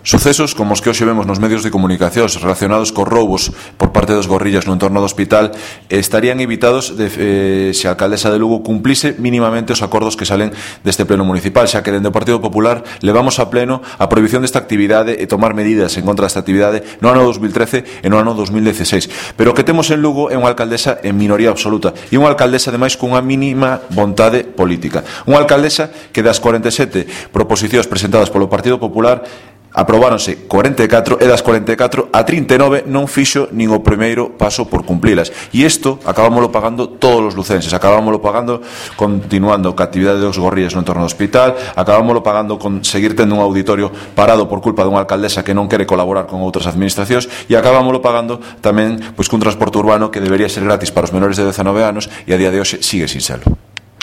Sucesos como os que hoxe vemos nos medios de comunicación relacionados cos roubos por parte dos gorrillas no entorno do hospital estarían evitados se a alcaldesa de Lugo cumplise mínimamente os acordos que salen deste pleno municipal, xa que dende o Partido Popular levamos a pleno a prohibición desta actividade e tomar medidas en contra desta actividade no ano 2013 e no ano 2016. Pero o que temos en Lugo é unha alcaldesa en minoría absoluta e unha alcaldesa ademais cunha mínima vontade política. Unha alcaldesa que das 47 proposicións presentadas polo Partido Popular aprobáronse 44 e das 44 a 39 non fixo nin o primeiro paso por cumplilas. E isto acabámoslo pagando todos os lucenses, acabámoslo pagando continuando ca actividade dos gorrillas no entorno do hospital, acabámoslo pagando con seguir tendo un auditorio parado por culpa dunha alcaldesa que non quere colaborar con outras administracións e acabámoslo pagando tamén pois cun transporte urbano que debería ser gratis para os menores de 19 anos e a día de hoxe sigue sin serlo.